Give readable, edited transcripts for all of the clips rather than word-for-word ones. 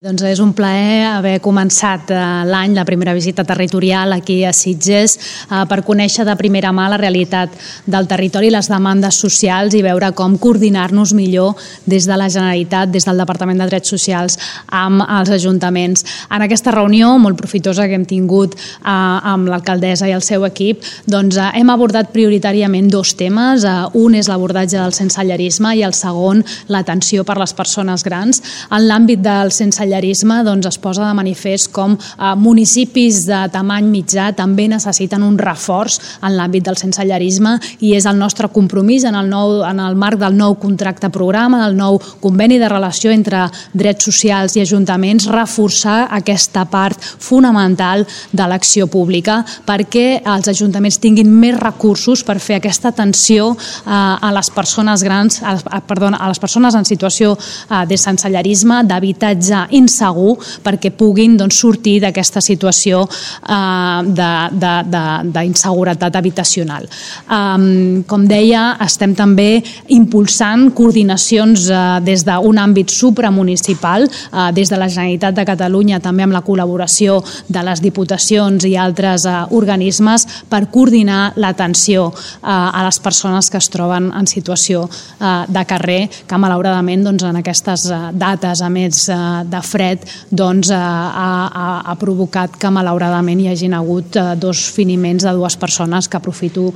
Doncs és un plaer haver començat l'any, la primera visita territorial aquí a Sitges, per conèixer de primera mà la realitat del territori, les demandes socials i veure com coordinar-nos millor des de la Generalitat, des del Departament de Drets Socials amb els ajuntaments. En aquesta reunió molt profitosa que hem tingut amb l'alcaldessa i el seu equip, doncs hem abordat prioritàriament dos temes. Un és l'abordatge del sensellarisme i el segon l'atenció per les persones grans. En l'àmbit del sensellarisme es posa de manifest com municipis de tamany mitjà també necessiten un reforç en l'àmbit del sensellarisme i és el nostre compromís en el marc del nou contracte programa, del nou conveni de relació entre drets socials i ajuntaments, reforçar aquesta part fonamental de l'acció pública perquè els ajuntaments tinguin més recursos per fer aquesta atenció a les persones grans, a les persones en situació de sensellarisme, d'habitatge insegur, perquè puguin sortir d'aquesta situació d'inseguretat habitacional. Com deia, estem també impulsant coordinacions des d'un àmbit supramunicipal, des de la Generalitat de Catalunya, també amb la col·laboració de les diputacions i altres organismes per coordinar l'atenció a les persones que es troben en situació de carrer, que malauradament en aquestes dates, a més de fred, ha provocat que malauradament hi hagin hagut dos finiments de dues persones, que aprofito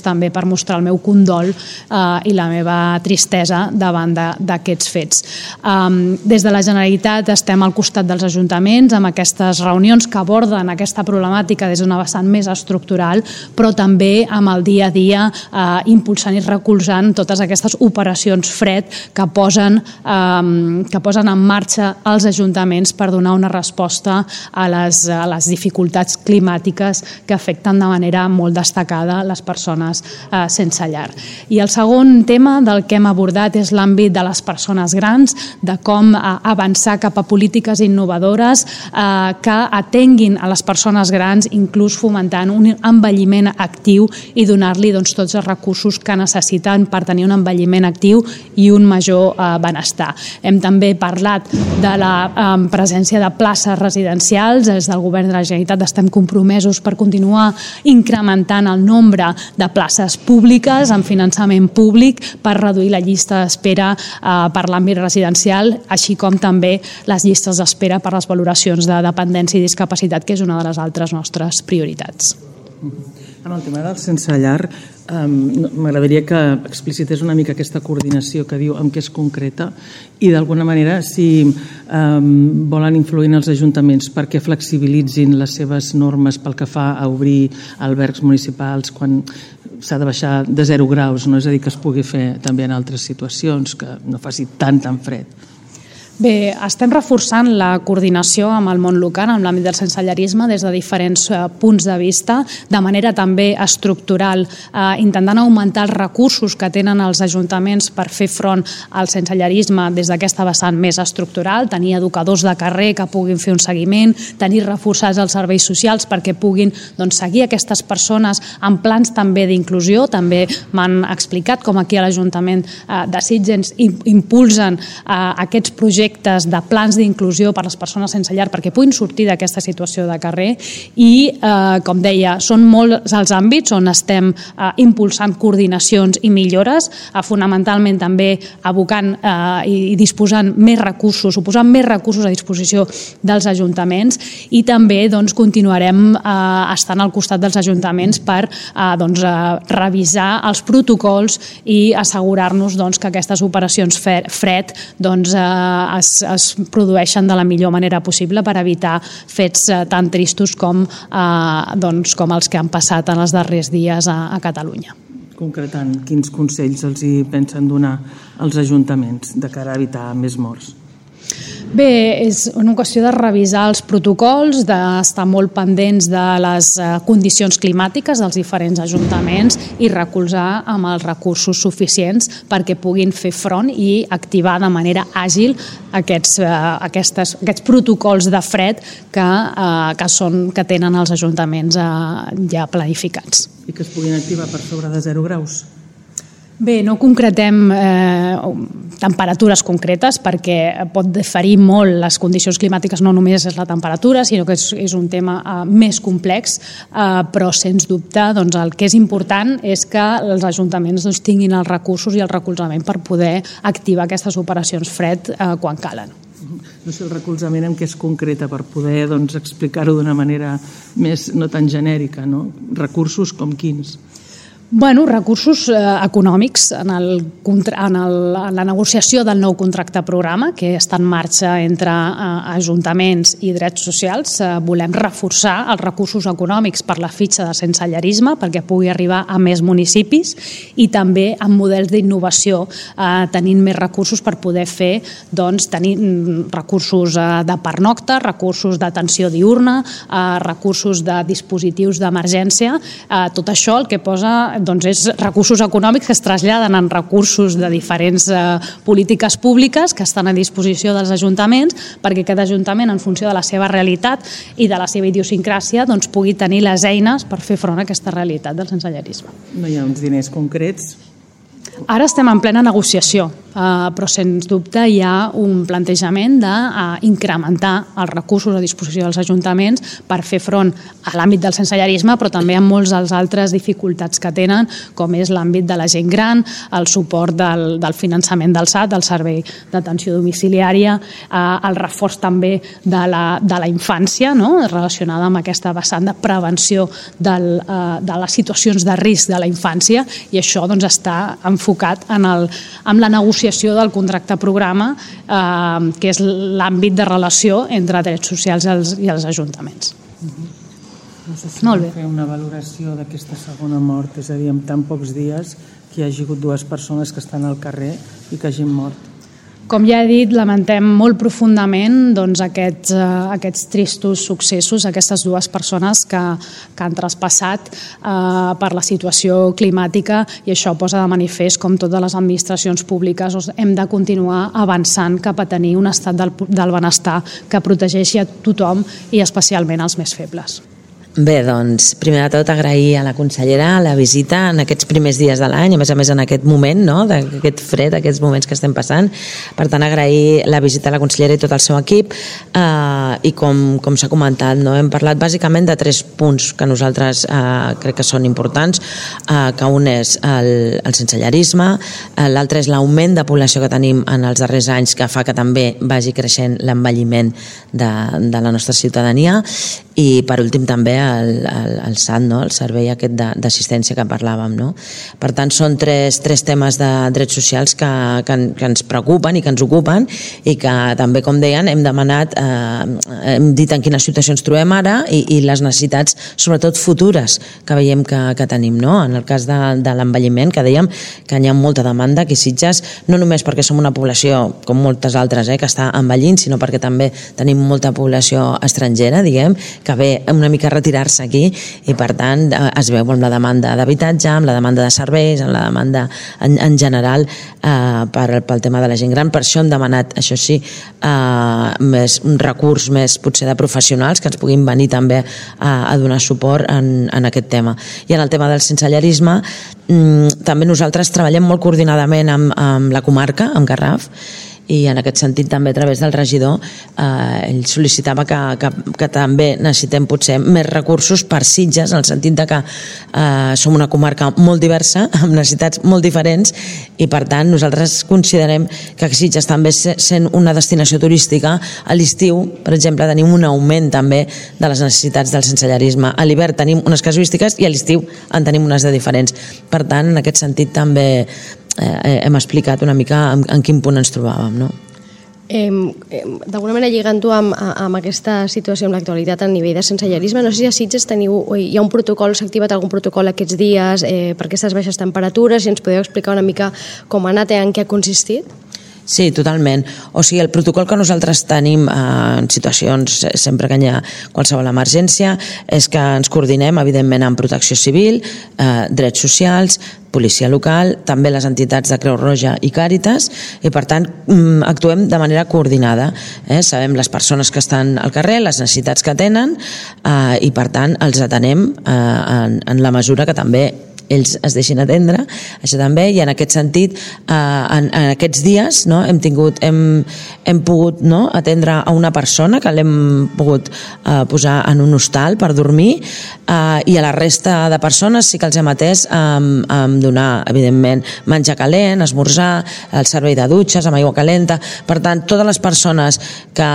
també per mostrar el meu condol i la meva tristesa davant d'aquests fets. Des de la Generalitat estem al costat dels ajuntaments amb aquestes reunions que aborden aquesta problemàtica des d'una vessant més estructural, però també amb el dia a dia impulsant i recolzant totes aquestes operacions fred que posen en marxa els ajuntaments per donar una resposta a les dificultats climàtiques que afecten de manera molt destacada les persones sense llar. I el segon tema del que hem abordat és l'àmbit de les persones grans, de com avançar cap a polítiques innovadores que atenguin a les persones grans, inclús fomentant un envelliment actiu i donar-li tots els recursos que necessiten per tenir un envelliment actiu i un major benestar. Hem també parlat de la presència de places residencials. Des del Govern de la Generalitat estem compromesos per continuar incrementant el nombre de places públiques amb finançament públic per reduir la llista d'espera per l'àmbit residencial, així com també les llistes d'espera per les valoracions de dependència i discapacitat, que és una de les altres nostres prioritats. En el tema del sense llar, m'agradaria que explicités una mica aquesta coordinació que diu amb què es concreta i d'alguna manera si volen influir en els ajuntaments perquè flexibilitzin les seves normes pel que fa a obrir albergs municipals quan s'ha de baixar de 0 graus, no? És a dir, que es pugui fer també en altres situacions, que no faci tan fred. Bé, estem reforçant la coordinació amb el món local, amb l'àmbit del sensellarisme, des de diferents punts de vista, de manera també estructural, intentant augmentar els recursos que tenen els ajuntaments per fer front al sensellarisme des d'aquesta vessant més estructural, tenir educadors de carrer que puguin fer un seguiment, tenir reforçats els serveis socials perquè puguin seguir aquestes persones en plans també d'inclusió. També m'han explicat com aquí a l'Ajuntament de Sitges impulsen aquests projectes de plans d'inclusió per a les persones sense llar perquè puguin sortir d'aquesta situació de carrer i, com deia, són molts els àmbits on estem impulsant coordinacions i millores, fonamentalment també abocant i disposant més recursos, posant més recursos a disposició dels ajuntaments i també continuarem estant al costat dels ajuntaments per revisar els protocols i assegurar-nos que aquestes operacions fred es produeixen de la millor manera possible per evitar fets tan tristos com els que han passat en els darrers dies a Catalunya. Concretant, quins consells els hi pensen donar als ajuntaments de cara a evitar més morts? Bé, és una qüestió de revisar els protocols, d'estar molt pendents de les condicions climàtiques dels diferents ajuntaments i recolzar amb els recursos suficients perquè puguin fer front i activar de manera àgil aquests protocols de fred que tenen els ajuntaments ja planificats. I que es puguin activar per sobre de 0 graus? Bé, no concretem temperatures concretes perquè pot diferir molt les condicions climàtiques, no només és la temperatura, sinó que és un tema més complex, però sens dubte el que és important és que els ajuntaments tinguin els recursos i el recolzament per poder activar aquestes operacions fred quan calen. No sé el recolzament en què es concreta per poder explicar-ho d'una manera més no tan genèrica, no? Recursos com quins? Recursos econòmics en la negociació del nou contracte programa que està en marxa entre ajuntaments i drets socials. Volem reforçar els recursos econòmics per la fitxa de sensellarisme perquè pugui arribar a més municipis i també amb models d'innovació tenint més recursos per poder fer tenir recursos de pernocta, recursos d'atenció diurna, recursos de dispositius d'emergència. Tot això el que posa és recursos econòmics que es traslladen en recursos de diferents polítiques públiques que estan a disposició dels ajuntaments perquè cada ajuntament, en funció de la seva realitat i de la seva idiosincràsia, pugui tenir les eines per fer front a aquesta realitat del sensellarisme. No hi ha uns diners concrets? Ara estem en plena negociació, però sens dubte hi ha un plantejament d'incrementar els recursos a disposició dels ajuntaments per fer front a l'àmbit del sensellarisme, però també a molts dels altres dificultats que tenen, com és l'àmbit de la gent gran, el suport del finançament del SAT, del Servei d'Atenció Domiciliària, el reforç també de la infància, relacionada amb aquesta vessant de prevenció de les situacions de risc de la infància, i això està enfocat en la negociació del contracte programa, que és l'àmbit de relació entre drets socials i els ajuntaments. No sé si fer una valoració d'aquesta segona mort, és a dir, en tan pocs dies que hi hagi hagut 2 persones que estan al carrer i que hagin mort. Com ja he dit, lamentem molt profundament aquests tristos successos, aquestes 2 persones que han traspassat per la situació climàtica, i això posa de manifest com totes les administracions públiques hem de continuar avançant cap a tenir un estat del benestar que protegeixi a tothom i especialment als més febles. Bé, doncs, primer de tot agrair a la consellera la visita en aquests primers dies de l'any, a més en aquest moment, d'aquest fred, aquests moments que estem passant. Per tant, agrair la visita a la consellera i tot el seu equip, i com s'ha comentat, hem parlat bàsicament de 3 punts que nosaltres crec que són importants, que un és el sensellarisme, l'altre és l'augment de població que tenim en els darrers anys, que fa que també vagi creixent l'envelliment de la nostra ciutadania, i per últim també el SAT, el servei aquest d'assistència que parlàvem. Per tant, són 3 temes de drets socials que ens preocupen i que ens ocupen, i que també, com deien, hem demanat, hem dit en quina situació ens trobem ara i les necessitats, sobretot futures, que veiem que tenim. En el cas de l'envelliment, que dèiem que hi ha molta demanda aquí a Sitges, no només perquè som una població, com moltes altres, que està envellint, sinó perquè també tenim molta població estrangera, diguem, que ve una mica a retirar-se aquí, i per tant es veu amb la demanda d'habitatge, amb la demanda de serveis, amb la demanda en general pel tema de la gent gran. Per això hem demanat, això sí, un recurs més potser de professionals que ens puguin venir també a donar suport en aquest tema. I en el tema del sensellarisme, també nosaltres treballem molt coordinadament amb la comarca, amb Garraf, i en aquest sentit també a través del regidor ell sol·licitava que també necessitem potser més recursos per Sitges, en el sentit de que som una comarca molt diversa, amb necessitats molt diferents, i per tant nosaltres considerem que Sitges també sent una destinació turística, a l'estiu, per exemple, tenim un augment també de les necessitats del sensellarisme. A l'hivern tenim unes casuístiques i a l'estiu en tenim unes de diferents. Per tant, en aquest sentit també hem explicat una mica en quin punt ens trobàvem, D'alguna manera, lligant-ho amb aquesta situació, amb l'actualitat a nivell de sensellarisme, no sé si a Sitges hi ha un protocol, s'ha activat algun protocol aquests dies per aquestes baixes temperatures, si ens podeu explicar una mica com ha anat i en què ha consistit? Sí, totalment. O sigui, el protocol que nosaltres tenim en situacions, sempre que hi ha qualsevol emergència, és que ens coordinem, evidentment, amb Protecció Civil, drets socials, policia local, també les entitats de Creu Roja i Càritas, i per tant actuem de manera coordinada. Sabem les persones que estan al carrer, les necessitats que tenen, i per tant els atenem en la mesura que també ells es deixin atendre, això també, i en aquest sentit en aquests dies hem pogut atendre a una persona que l'hem pogut posar en un hostal per dormir, i a la resta de persones sí que els hem atès amb donar, evidentment, menjar calent, esmorzar, el servei de dutxes amb aigua calenta. Per tant, totes les persones que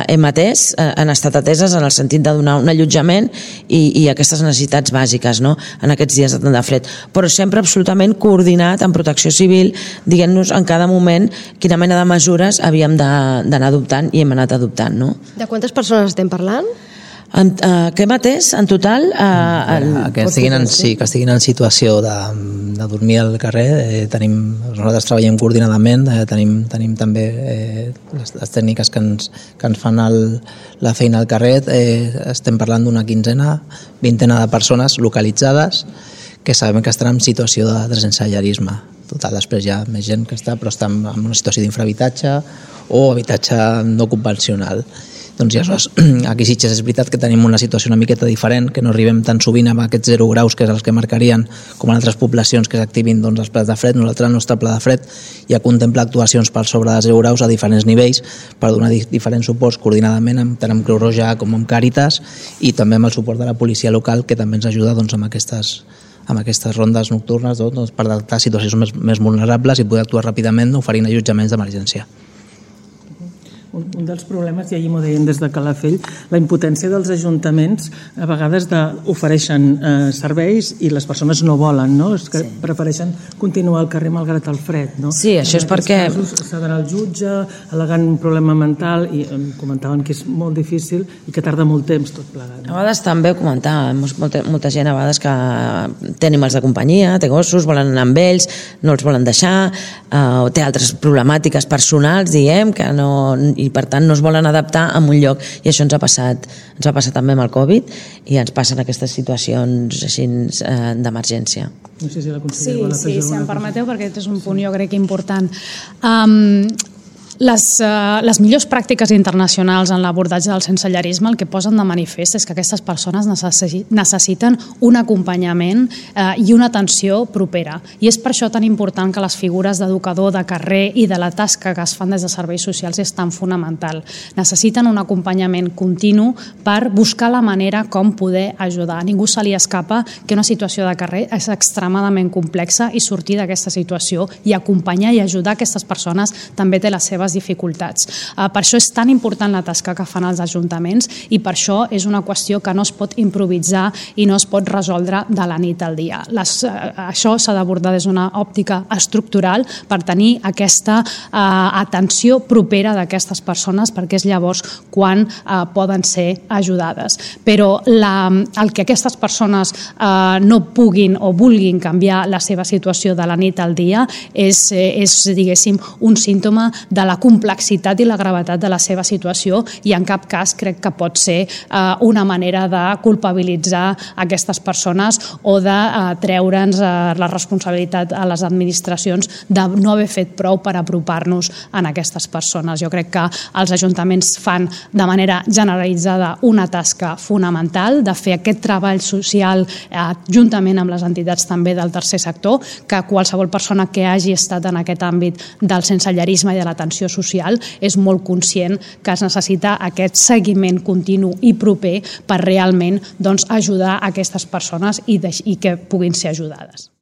hem atès han estat ateses en el sentit de donar un allotjament i aquestes necessitats bàsiques en aquests dies de tant de fred, però sempre absolutament coordinat amb Protecció Civil, dient-nos en cada moment quina mena de mesures havíem d'anar adoptant i hem anat adoptant. De quantes persones estem parlant? Què hem atès en total? Que estiguin en situació de dormir al carrer. Nosaltres treballem coordinadament, tenim també les tècniques que ens fan la feina al carrer. Estem parlant d'una vintena de persones localitzades que sabem que estan en situació de sensellarisme. Total, després hi ha més gent que està, però està en una situació d'infrahabitatge o habitatge no convencional. Doncs aleshores, aquí a Sitges és veritat que tenim una situació una miqueta diferent, que no arribem tan sovint amb aquests 0 graus, que és els que marcarien, com en altres poblacions que s'activin els plats de fred. Nosaltres, el nostre pla de fred ja contempla actuacions per sobre de 0 graus a diferents nivells per donar diferents suports coordinadament tant amb Creu Roja com amb Càritas, i també amb el suport de la policia local, que també ens ajuda amb aquestes rondes nocturnes per adaptar situacions més vulnerables i poder actuar ràpidament oferint allotjaments d'emergència. Un dels problemes, i ahir m'ho deien des de Calafell, la impotència dels ajuntaments a vegades ofereixen serveis i les persones no volen, és que prefereixen continuar al carrer malgrat el fred. Sí, això és perquè... En aquests casos s'ha d'anar al jutge, al·legant un problema mental, i em comentaven que és molt difícil i que tarda molt temps tot plegat. A vegades també ho comentàvem, molta gent a vegades que té animals de companyia, té gossos, volen anar amb ells, no els volen deixar, o té altres problemàtiques personals, diguem, que no... i per tant no es volen adaptar a un lloc, i això ens va passar també amb el Covid, i ens passen aquestes situacions així d'emergència. No sé si la consellera vol afegir si em alguna permeteu, perquè aquest és un punt jo crec important. Les millors pràctiques internacionals en l'abordatge del sensellarisme el que posen de manifest és que aquestes persones necessiten un acompanyament i una atenció propera. I és per això tan important que les figures d'educador de carrer i de la tasca que es fan des de serveis socials és tan fonamental. Necessiten un acompanyament continu per buscar la manera com poder ajudar. A ningú se li escapa que una situació de carrer és extremadament complexa i sortir d'aquesta situació i acompanyar i ajudar aquestes persones també té les seves dificultats. Per això és tan important la tasca que fan els ajuntaments i per això és una qüestió que no es pot improvisar i no es pot resoldre de la nit al dia. Això s'ha d'abordar des d'una òptica estructural per tenir aquesta atenció propera d'aquestes persones, perquè és llavors quan poden ser ajudades. Però el que aquestes persones no puguin o vulguin canviar la seva situació de la nit al dia és diguéssim, un símptoma de la complexitat i la gravetat de la seva situació i en cap cas crec que pot ser una manera de culpabilitzar aquestes persones o de treure'ns la responsabilitat a les administracions de no haver fet prou per apropar-nos a aquestes persones. Jo crec que els ajuntaments fan de manera generalitzada una tasca fonamental de fer aquest treball social juntament amb les entitats també del tercer sector, que qualsevol persona que hagi estat en aquest àmbit del sensellarisme i de l'atenció social és molt conscient que es necessita aquest seguiment continu i proper per realment ajudar aquestes persones i que puguin ser ajudades.